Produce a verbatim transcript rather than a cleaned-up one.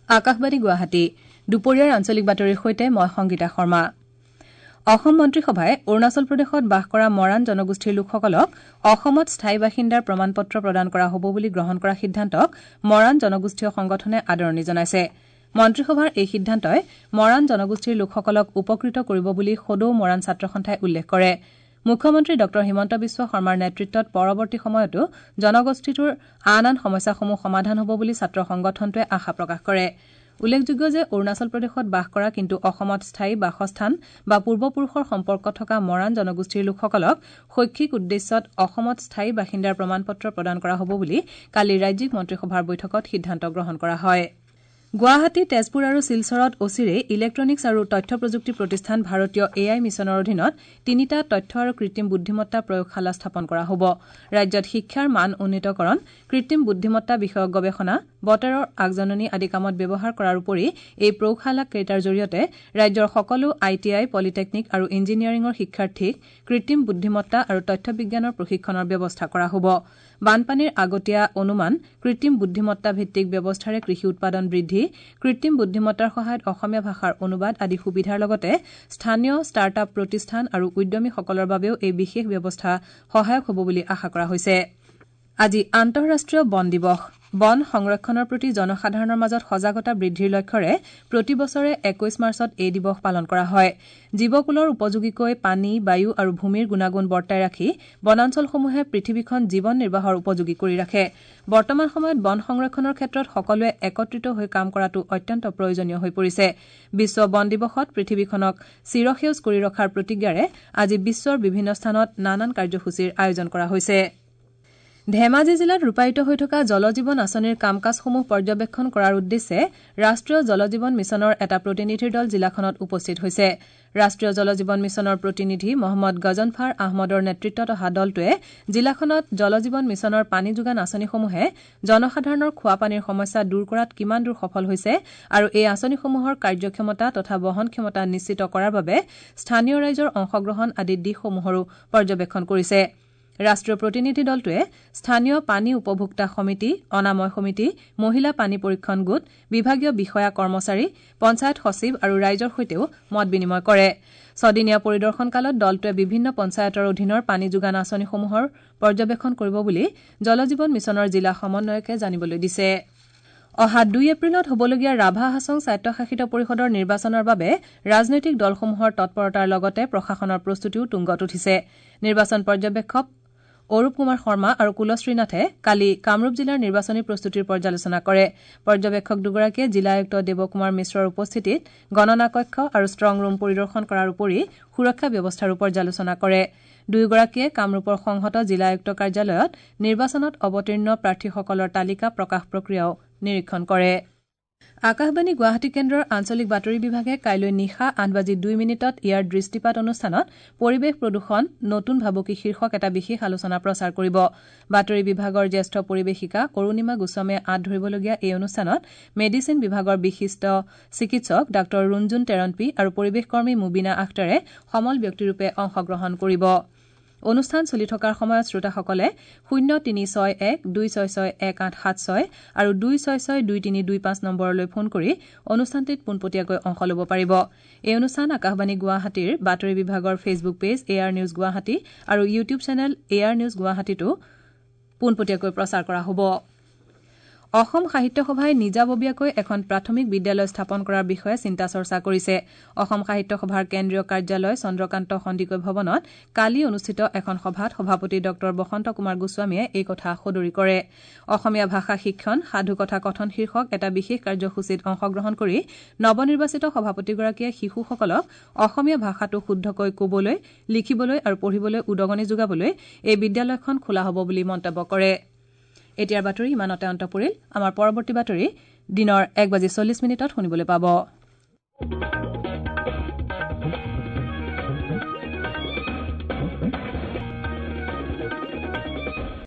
আকাশবাণী গুৱাহাটী দুপৰীয়াৰ আঞ্চলিক বাতৰিৰ সৈতে মই সংগীতা শৰ্মা। অসম মন্ত্ৰীসভাই অৰুণাচল প্ৰদেশত বাস কৰা মৰাণ জনগোষ্ঠীৰ লোকসকলক অসমত স্থায়ী বাসিন্দাৰ প্ৰমাণপত্ৰ প্ৰদান কৰা হ'ব বুলি গ্ৰহণ কৰা সিদ্ধান্তক মৰাণ জনগোষ্ঠীয় সংগঠনে আদৰণি জনাইছে। মন্ত্ৰীসভাৰ এই সিদ্ধান্তই মৰাণ জনগোষ্ঠীৰ লোকসকলক উপকৃত কৰিব বুলি সদৌ মৰাণ ছাত্ৰ সন্থাই উল্লেখ কৰে। মুখ্যমন্ত্ৰী ডঃ হিমন্ত বিশ্ব শৰ্মাৰ নেতৃত্বত পৰৱৰ্তী সময়তো জনগোষ্ঠীটোৰ আন আন সমস্যাসমূহ সমাধান হ'ব বুলি ছাত্ৰ সংগঠনটোৱে আশা প্ৰকাশ কৰে। উল্লেখযোগ্য যে অৰুণাচল প্ৰদেশত বাস কৰা কিন্তু অসমত স্থায়ী বাসস্থান বা পূৰ্বপুৰুষৰ সম্পৰ্ক থকা মৰাণ জনগোষ্ঠীৰ লোকসকলক শৈক্ষিক উদ্দেশ্যত অসমত স্থায়ী বাসিন্দাৰ প্ৰমাণপত্ৰ প্ৰদান কৰা হ'ব বুলি কালি ৰাজ্যিক মন্ত্ৰীসভাৰ বৈঠকত সিদ্ধান্ত গ্ৰহণ কৰা হয়। গুৱাহাটী, তেজপুৰ আৰু শিলচৰত অচিৰেই ইলেক্ট্ৰনিক্স আৰু তথ্য প্ৰযুক্তি প্ৰতিষ্ঠান ভাৰতীয় এ I মিছনৰ অধীনত তিনিটা তথ্য আৰু কৃত্ৰিম বুদ্ধিমত্তা প্ৰয়োগশালা স্থাপন কৰা হ'ব। ৰাজ্যত শিক্ষাৰ মান উন্নীতকৰণ, কৃত্ৰিম বুদ্ধিমত্তা বিষয়ক গৱেষণা, বতৰৰ আগজাননী আদি কামত ব্যৱহাৰ কৰাৰ উপৰি এই প্ৰয়োগশালা কেইটাৰ জৰিয়তে ৰাজ্যৰ সকলো I T I, polytechnic আৰু ইঞ্জিনিয়াৰিঙৰ শিক্ষাৰ্থীক কৃত্ৰিম বুদ্ধিমত্তা আৰু তথ্য বিজ্ঞানৰ প্ৰশিক্ষণৰ ব্যৱস্থা কৰা হ'ব। বানপানীৰ আগতীয়া অনুমান, কৃত্ৰিম বুদ্ধিমত্তা ভিত্তিক ব্যৱস্থাৰে কৃষি উৎপাদন বৃদ্ধি, কৃত্ৰিম বুদ্ধিমত্তাৰ সহায়ত অসমীয়া ভাষাৰ অনুবাদ আদি সুবিধাৰ লগতে স্থানীয় ষ্টাৰ্ট আপ প্ৰতিষ্ঠান আৰু উদ্যমীসকলৰ বাবেও এই বিশেষ ব্যৱস্থা সহায়ক হ'ব বুলি আশা কৰা হৈছে। আজি আন্তঃৰাষ্ট্ৰীয় বন দিৱস। বন সংৰক্ষণৰ প্ৰতি জনসাধাৰণৰ মাজত সজাগতা বৃদ্ধিৰ লক্ষ্যৰে প্ৰতি বছৰে একৈশ মাৰ্চত এই দিৱস পালন কৰা হয়। জীৱকুলৰ উপযোগীকৈ পানী, বায়ু আৰু ভূমিৰ গুণাগুণ বৰ্তাই ৰাখি বনাঞ্চলসমূহে পৃথিৱীখন জীৱন নিৰ্বাহৰ উপযোগী কৰি ৰাখে। বৰ্তমান সময়ত বন সংৰক্ষণৰ ক্ষেত্ৰত সকলোৱে একত্ৰিত হৈ কাম কৰাটো অত্যন্ত প্ৰয়োজনীয় হৈ পৰিছে। বিশ্ব বন দিৱসত পৃথিৱীখনক চিৰসেউজ কৰি ৰখাৰ প্ৰতিজ্ঞাৰে আজি বিশ্বৰ বিভিন্ন স্থানত নানান কাৰ্যসূচীৰ আয়োজন কৰা হৈছে। ধেমাজি জিলাত ৰূপায়িত হৈ থকা জল জীৱন আঁচনিৰ কাম কাজসমূহ পৰ্যবেক্ষণ কৰাৰ উদ্দেশ্যে ৰাষ্ট্ৰীয় জল জীৱন মিছনৰ এটা প্ৰতিনিধিৰ দল জিলাখনত উপস্থিত হৈছে। ৰাষ্ট্ৰীয় জল জীৱন মিছনৰ প্ৰতিনিধি মহম্মদ গজনফাৰ আহমদৰ নেতৃত্বত অহা দলটোৱে জিলাখনত জল জীৱন মিছনৰ পানী যোগান আঁচনিসমূহে জনসাধাৰণৰ খোৱাপানীৰ সমস্যা দূৰ কৰাত কিমান দূৰ সফল হৈছে আৰু এই আঁচনিসমূহৰ কাৰ্যক্ষমতা তথা বহনক্ষমতা নিশ্চিত কৰাৰ বাবে স্থানীয় ৰাইজৰ অংশগ্ৰহণ আদি দিশসমূহৰো পৰ্যবেক্ষণ কৰিছে। ৰাষ্ট্ৰীয় প্ৰতিনিধি দলটোৱে স্থানীয় পানী উপভোক্তা সমিতি, অনাময় সমিতি, মহিলা পানী পৰীক্ষণ গোট, বিভাগীয় বিষয়া কৰ্মচাৰী, পঞ্চায়ত সচিব আৰু ৰাইজৰ সৈতেও মত বিনিময় কৰে। ছদিনীয়া পৰিদৰ্শনকালত দলটোৱে বিভিন্ন পঞ্চায়তৰ অধীনৰ পানী যোগান আঁচনিসমূহৰ পৰ্যবেক্ষণ কৰিব বুলি জল জীৱন মিছনৰ জিলা সমন্বয়কে জানিবলৈ দিছে। অহা দুই এপ্ৰিলত হ'বলগীয়া ৰাভা হাছং স্বায়ত্তশাসিত পৰিষদৰ নিৰ্বাচনৰ বাবে ৰাজনৈতিক দলসমূহৰ তৎপৰতাৰ লগতে প্ৰশাসনৰ প্ৰস্তুতিও তুংগত উঠিছে। নিৰ্বাচন পৰ্যবেক্ষক অৰূপ কুমাৰ শৰ্মা আৰু কুলশ্ৰীনাথে কালি কামৰূপ জিলাৰ নিৰ্বাচনী প্ৰস্তুতিৰ পৰ্যালোচনা কৰে। পৰ্যবেক্ষক দুগৰাকীয়ে জিলা আয়ুক্ত দেৱকুমাৰ মিশ্ৰৰ উপস্থিতিত গণনা কক্ষ আৰু ষ্ট্ৰং ৰুম পৰিদৰ্শন কৰাৰ উপৰি সুৰক্ষা ব্যৱস্থাৰো পৰ্যালোচনা কৰে। দুয়োগৰাকীয়ে কামৰূপৰ সংহত জিলা আয়ুক্ত কাৰ্যালয়ত নিৰ্বাচনত অৱতীৰ্ণ প্ৰাৰ্থীসকলৰ তালিকা প্ৰকাশ প্ৰক্ৰিয়াও নিৰীক্ষণ কৰে। আকাশবাণী গুৱাহাটী কেন্দ্ৰৰ আঞ্চলিক বাতৰি বিভাগে কাইলৈ নিশা আঠ বাজি দুই মিনিটত ইয়াৰ দৃষ্টিপাত অনুষ্ঠানত পৰিৱেশ প্ৰদূষণ নতুন ভাবুকি শীৰ্ষক এটা বিশেষ আলোচনা প্ৰচাৰ কৰিব। বাতৰি বিভাগৰ জ্যেষ্ঠ পৰিৱেশিকা অৰুণিমা গোস্বামীয়ে আঁত ধৰিবলগীয়া এই অনুষ্ঠানত মেডিচিন বিভাগৰ বিশিষ্ট চিকিৎসক ডাঃ ৰুণজুন টেৰণপী আৰু পৰিৱেশকৰ্মী মুবিনা আখতাৰে সমল ব্যক্তিৰূপে অংশগ্ৰহণ কৰিব। অনুষ্ঠান চলি থকাৰ সময়ত শ্ৰোতাসকলে শূন্য তিনি ছয় এক দুই ছয় ছয় এক আঠ সাত ছয় আৰু দুই ছয় ছয় দুই তিনি দুই পাঁচ নম্বৰলৈ ফোন কৰি অনুষ্ঠানটিত পোনপটীয়াকৈ অংশ ল'ব পাৰিব। এই অনুষ্ঠান আকাশবাণী গুৱাহাটীৰ বাতৰি বিভাগৰ Facebook page A R news Guwahati আৰু YouTube channel A R news গুৱাহাটীতো পোনপটীয়াকৈ প্ৰচাৰ কৰা হ'ব। অসম সাহিত্য সভাই নিজাববীয়াকৈ এখন প্ৰাথমিক বিদ্যালয় স্থাপন কৰাৰ বিষয়ে চিন্তা চৰ্চা কৰিছে। অসম সাহিত্য সভাৰ কেন্দ্ৰীয় কাৰ্যালয় চন্দ্ৰকান্ত সন্দিকৈ ভৱনত কালি অনুষ্ঠিত এখন সভাত সভাপতি ডঃ বসন্ত কুমাৰ গোস্বামীয়ে এই কথা সদৰি কৰে। অসমীয়া ভাষা শিক্ষণ সাধুকথা কথন শীৰ্ষক এটা বিশেষ কাৰ্যসূচীত অংশগ্ৰহণ কৰি নৱনিৰ্বাচিত সভাপতিগৰাকীয়ে শিশুসকলক অসমীয়া ভাষাটো শুদ্ধকৈ কবলৈ, লিখিবলৈ আৰু পঢ়িবলৈ উদগনি যোগাবলৈ এই বিদ্যালয়খন খোলা হ'ব বুলি মন্তব্য কৰে। এতিয়াৰ বাতৰি ইমানতে অন্ত পৰিল। আমাৰ পৰৱৰ্তী বাতৰি দিনৰ এক বাজি চল্লিছ মিনিটত শুনিবলৈ পাব।